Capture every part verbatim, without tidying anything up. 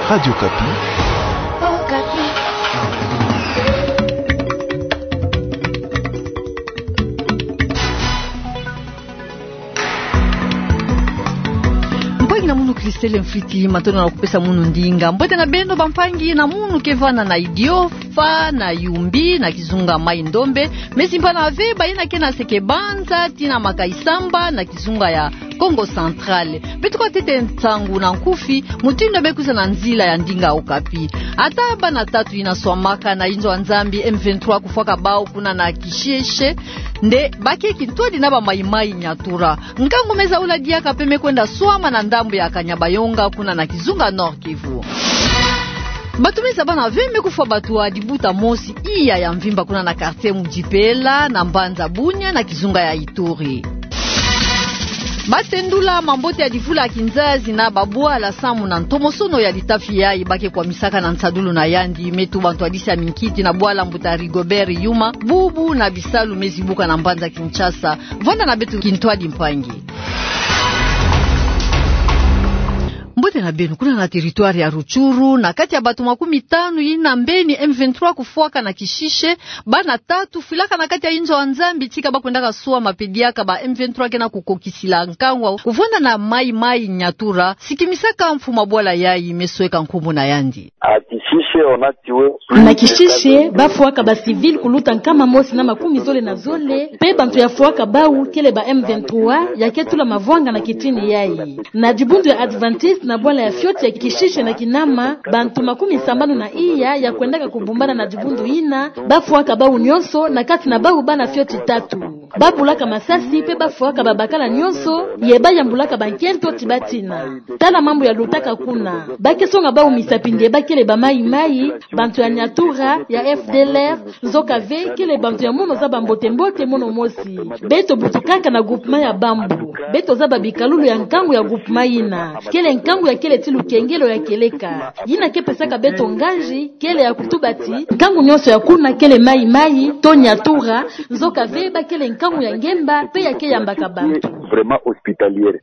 Radio Okapi. Mpangi na munu Christelle Mfwiti, matondo na kupesa munu ndinga. Mbote na beno bampangi na munu ke vana na Idiofa, na Yumbi, na kizunga Mai-Ndombe, mesi mpana ve bayina ke na Seke-Banza, tii na Makayi-Samba, na kizunga ya Kongo Central. Beto kwa tete nsangu na nkufi, mutindu me kwiza na nzila ya ndinga Okapi. Ata bana tatu yina swamaka na inzo ya Nzambi M vingt-trois kufwaka bawu kuna na Kishishe, nde ba ke kintwadi na ba Maï-Maï Nyatura. Nkangu me za ula diaka pe me kwenda swama na ndambu ya Kanyabayonga kuna na kizunga Nord-Kivu. Batu me za bana ve me kufwa batu wa dibuta mosi iya ya mvimba kuna na quartier Mudjipela, na mbanza Bunia, na kizunga ya Ituri. Ba tendula mambote ya divula ya kinzazi na babwala samu na ntomosono ya litafi yayi ba ke kwamisaka na nsadulu na yandi, me tuba ntwadisi ya minkiti na bwala mbuta Rigobert Yuma, bubu na bisalu me zibuka na mbanza Kinshasa. Vwanda na beto kintwadi mpangi. Mbote na beno, kuna na territoire ya Rutshuru, na kati ya batu makumi tanu yina mbeni M vingt-trois kufwaka na Kishishe, bana tatu fwilaka na kati ya inzo ya Nzambi tika ba kwendaka swama pe diaka ba M vingt-trois ke na kukokisila nkangu wa kuvwanda na Maï-Maï Nyatura, sikimisaka mfumu wa bwala yayi, me sweka nkumbu na yandi. À Kishishe, on a tué plus de quatre-vingt-dix. Na Kishishe, ba fwaka ba civil kuluta nkama mosi na makumi zole na zole, pe bantu ya fwaka bawu kele ba M vingt-trois, ya ke tula mavwanga na kitini yayi. Na dibundu ya Adventiste na bwala ya fioti ya Kishishe na Kinama, bantu makumi sambanu na iya ya kwendaka kubumbana na dibundu yina, ba fwaka bawu nyonso, na kati na bawu bana fioti tatu. Ba bulaka masasi pe ba fwaka babakala nyonso, ye ba yambulaka bankento ti ba tina. Tala mambu ya lutaka kuna. Ba ke songa bawu misapi nde ba kele ba Maï-Maï, bantu ya Nyatura, ya F D L R, nzoka ve kele bantu ya mono zaba mbote-mbote mono mosi. Beto butukaka na groupement ya Bambo. Beto zaba bikalulu ya nkangu ya groupement yina. Kele nkangu ya kele ti lukengelo ya kieleka. Yina ke pesaka beto nganzi, kele ya kutuba ti nkangu nyonso ya kuna kele Maï-Maï, to Nyatura, nzoka ve ba kele nkangu ya ngemba, pe ya ke yambaka bantu. Vraiment hospitalière.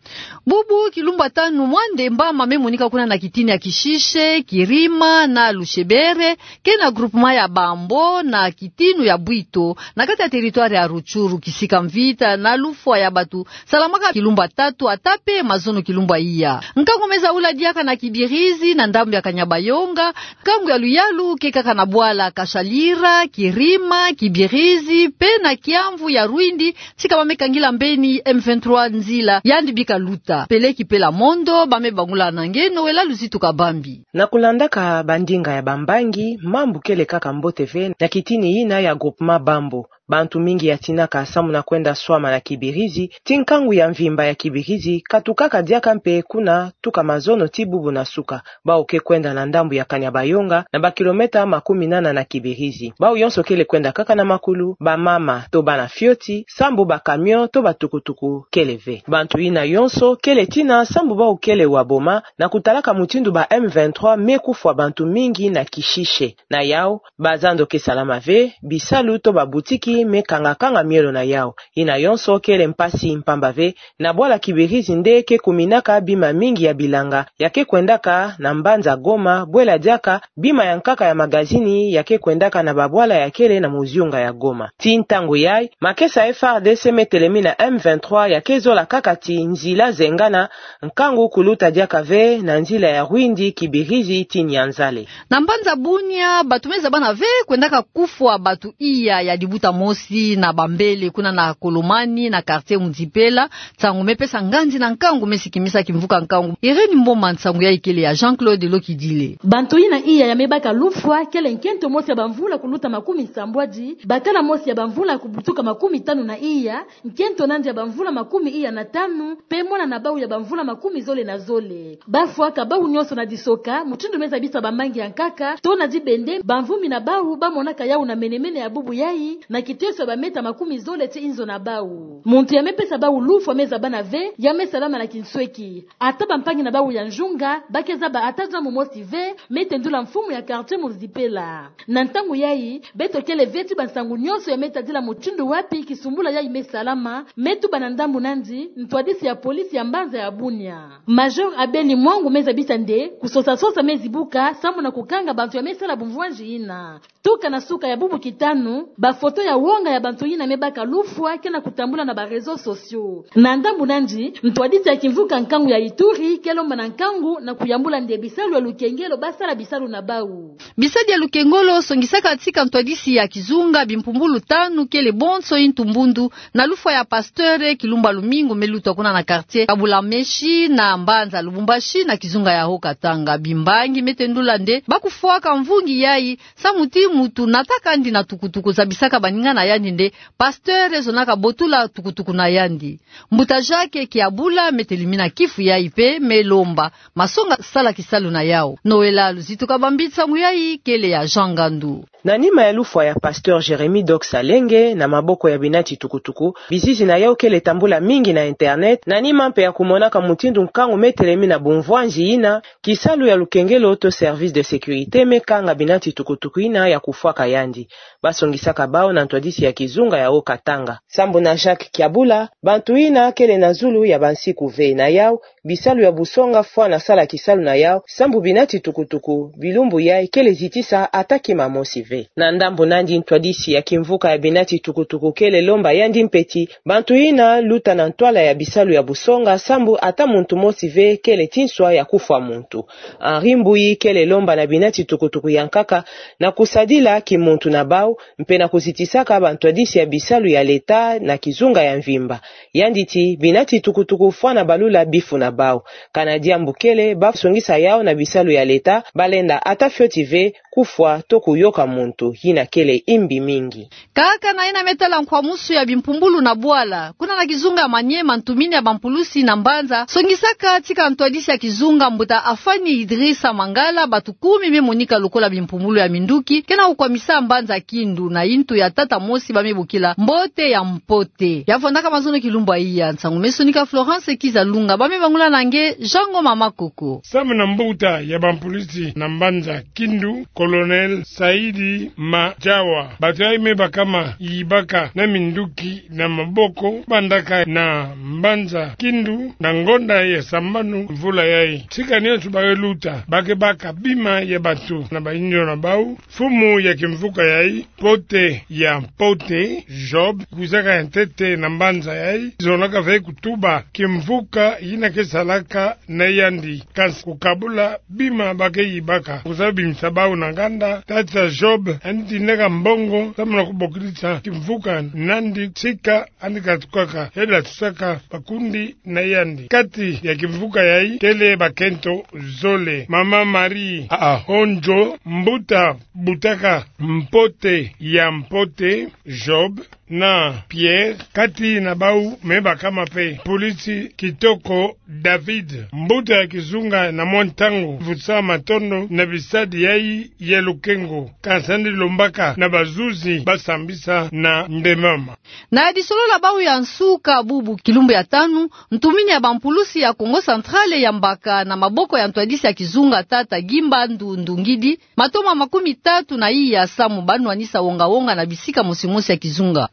Bubu kilumbu ya tanu mwa ndemba ma me monika kuna na kitini ya Kishishe, Kirima na Lushebere, ke na groupement ya Bambo na kitinu ya Bwito, na kati ya territoire ya Rutshuru, kisika mvita na lufwa ya batu salamaka kilumbu ya tatu ata pe mazono kilumbu ya iya. Nkangu me za ula diaka na Kibirizi, na ndambu ya Kanyabayonga, nkangu ya luyalu ke kaka na bwala Kashalira, Kirima, Kibirizi, pe na kiamvu ya Rwindi, tika ba me kangila mbeni M vingt-trois nzila, yandi bika luta. Peleki Pela Mondo, ba me bangula na nge Noëlla Luzitu Kabambi. Na kulandaka bandinga ya bambangi, mambu kele kaka mbote ve na kitini yina ya groupement Bambo. Bantu mingi ya tinaka samu na kwenda swama na Kibirizi, ti nkangu ya mvimba ya Kibirizi katukaka diaka mpe kuna tuka mazono ti bubu na suka. Bawu ke kwenda na ndambu ya Kanyabayonga, na ba kilomètre makumi nana na Kibirizi. Bawu yonso kele kwenda kaka na makulu, bamama to bana fioti, sambu ba camion to ba tukutuku kele ve. Bantu yina yonso kele tina sambu bawu kele wa boma, na kutalaka mutindu ba M vingt-trois me kufwa bantu mingi na Kishishe. Na yawu, bazando ke salama ve, bisalu to babutiki me kanga-kanga mielo na yawu. Yina yonso kele mpasi mpamba ve, na bwala Kibirizi nde ke kuminaka bima mingi ya bilanga ya ke kwendaka na mbanza Goma, bwela diaka bima ya nkaka ya magazini ya ke kwendaka na babwala ya kele na muziunga ya Goma. Ti ntangu yayi, makesa F A R D C me telemi na M vingt-trois ya ke zola kaka ti nzila zengana, nkangu kuluta diaka ve na nzila ya Rwindi, Kibirizi ti Nyanzale. Na mbanza Bunia, batu me za bana ve kwendaka kufwa batu iya ya dibuta mosi na bambele kuna na Kolomani, na quartier Mudjipela, nsangu me pesa nganzi na nkangu me sikimisa kimvuka nkangu. Irène Mboma, nsangu yayi kele ya Jean-Claude Lokidile. Bantu yina iya ya me baka lufwa kele nkento mosi ya bamvula kuluta makumi nsambwadi, bakala mosi ya bamvula kubutuka makumi tanu na iya, nkento nandi ya bamvula makumi iya na tanu, pe mwana na bawu ya bamvula makumi zole na zole. Ba fwaka bawu nyonso na disoka, mutindu me zabisa bambangi ya nkaka, to na dibende, bamvumbi na bawu ba monaka yawu na mene-mene ya bubu yayi, na Kiteso ya ba mètre makumi zole tii inzo na bau. Muntu ya mepesa bau lufwa me zabana ve, ya me salama na kinsweki. Ata bampangi na bau ya nzunga, ba ke zaba ata diambu mosi ve, me tendula mfumu ya quartier Muzipela. Na ntangu yayi, beto kele ve ti bansangu nyonso ya me tadila mutindu wapi kisumbula yayi me salama, me tuba na ndambu nandi, ntwadisi ya polisi ya mbanza ya Bunia. Major Abeli Mwangu me zabisa nde, kusosa-sosa me zibuka, samu na kukanga bantu ya me sala bumvwanzi yina. Tuka na suka ya bubu kitanu, bafoto ya wonga ya bantu yina me baka lufwa ke na kutambula na ba réseaux sociaux. Na ndambu nandi, ntwadisi ya kimvuka nkangu ya Ituri ke lomba na nkangu na kuyambula nde bisalu ya lukengelo ba sala bisalu na bau. Bisadi ya lukengolo songisaka tika ntwadisi ya kizunga bimpumbulu tanu kele bonso intu mbundu na lufwa ya pasteur kilumba lumingu me luta kuna na quartier Kabulameshi na mbanza Lubumbashi na kizunga ya Haut-Katanga. Bimbangi me tendula nde ba kufwaka mvungi yayi samu ti muntu nataka ndi na tukutuku zabisaka baninga na yandi nde pasteur zonaka botula tukutuku na yandi. Mbuta Jacques Kiabula me telimina kifu yayi pe me lomba masonga sala kisalu na yau. Noëlla Luzituka Bambitsa, nsangu yayi kele ya Jean Ngandu. Na nima ya lufwa ya pasteur Jérémie Dox Alenge na maboko ya binati tukutuku, bizizi na yau kele tambula mingi na internet, na nima mpe ya kumonaka mutindu nkangu me telemina bumvwanzi yina, kisalu ya lukengelo to service de sécurité me kanga binati tukutuku yina ya kufwaka yandi. Ba songisaka bau na ntwadisi ya kizunga ya Haut-Katanga. Sambu na Jacques Kiabula, bantu yina kele na zulu ya bansiku ve na yau, bisalu ya busonga fwana sala kisalu na yau, sambu binati tukutuku bilumbu yayi kele zitisa ata kima mosi ve. Na ndambu nandi ntwadisi ya kimvuka ya binati tukutuku kele lomba yandi mpe ti bantu yina luta na ntwala ya bisalu ya busonga sambu ata muntu mosi ve kele ti nswa ya kufwa muntu. Henri Mbuyi kele lomba na binati tukutuku ya nkaka na kusadila kimuntu na bau, mpe na kuzitisaka bantwadisi ya bisalu ya leta na kizunga ya mvimba. Yandi ti, binati tukutuku fwana balula bifu na bau. Kana diambu kele, ba songisa yau na bisalu ya leta, balenda ata fioti ve, kufwa, to kuyoka muntu, yina kele imbi mingi. Kaka na yina me tala nkwamusu ya bimpumbulu na bwala, kuna na kizunga ya Maniema, ntumini ya bampulusi na mbanza songisaka tika ntwadisi ya kizunga, mbuta Afani Idrissa Mangala, batu kumi me monika lokola bimpumbulu ya minduki, ke na kukwamisa mbanza Kindu, na intu ya tata mosi ba me bokila Mbote ya Mpote. Ya vandaka mazono kilumbu ya iya, nsangu me sonika Florence Kizalunga, ba me bangula na nge Jean Ngoma Makoko. Samu na mbuta ya bampulusi na mbanza Kindu, Colonel Saidi Majawa, batu yayi me bakama yibaka na minduki na maboko, bandaka na mbanza Kindu na ngonda ya sambanu mvula yayi. Tika nionso ba ke luta, ba ke baka bima ya batu na bayinzo na bau. Mfumu ya kimvuka yayi, Mbote ya Mpote, Job, kwizaka ya ntete na mbanza yayi, zonaka ve kutuba kimvuka yina ke salaka na yandi, kansi kukabula bima ba ke yibaka. Kwiza bimisa bau na nganda, tata Job yandi tindaka mbongo samu na kubokilisa kimvuka nandi, tika yandi katukaka, hela tusaka bakundi na yandi. Kati ya kimvuka yayi kele bakento zole: Mama Marie Ahonjo, mbuta butaka Mbote ya Mpote, Job, na Pierre, kati na bau me bakama mpe mpulusi Kitoko David, mbuta ya kizunga na mwa ntangu, vutusa matondo na bisadi yayi ya lukengo, kansi yandi lombaka na bazuzi ba sambisa na ndemama. Na disolo la bau ya nsuka bubu kilumbu ya tanu, ntumini ya bampulusi ya Kongo Central yambaka na maboko ya ntwadisi ya kizunga tata Gimbandu Ndungidi matoma makumi tatu na iya samu ba nwanisa wonga-wonga na bisika mosi-mosi ya kizunga.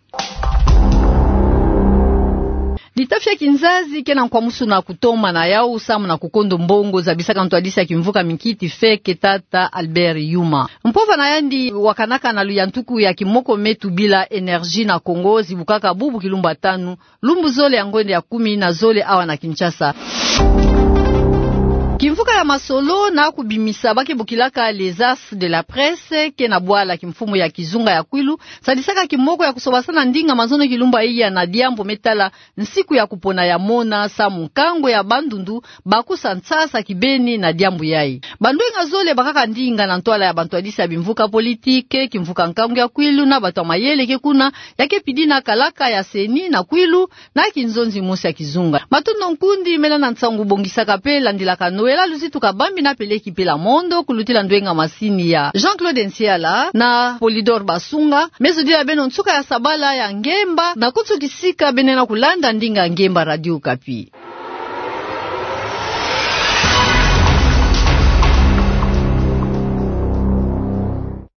Litafi ya kinzazi ke na nkwamusu na kutoma na yau samu na kukondo mbongo zabisaka ntwadisi ya kimvuka minkiti feke tata Albert Yuma. Mpova na yandi wakanaka na luyantuku ya kimoko me tubila Énergie na Kongo zibukaka bubu kilumbu ya tanu, lumbu zole ya ngonde ya kumi na zole awa na Kinshasa. Kimvuka ya masolo na kubimisa ba ke bokilaka Les As de la Presse ke na bwala kimfumu ya kizunga ya Kwilu sadisaka kimoko ya kusobasana ndinga mazono kilumbu ya iya na diambu me tala nsiku ya kupona ya mona samu nkangu ya bandundu bakusa nsasa kibeni na diambu yayi. Bandwenga zole bakaka ndinga na ntwala ya bantwadisi ya bimvuka politique, kimvuka nkangu ya Kwilu na bato ya mayele ke kuna, ya ke pidina kalaka ya CENI na Kwilu na kinzonzi mosi ya kizunga. Matondo nkundi, mela na nsangu bongisaka mpe landilaka Noël Pela luzitu kabambi na peleki pela mondo, kulutila ndwenga masini ya Jean-Claude Nsiala na Polydor Basunga. Mesodila beno nsuka ya sabala ya ngemba, na kutu kisika beno na kulanda ndinga ngemba Radio Okapi.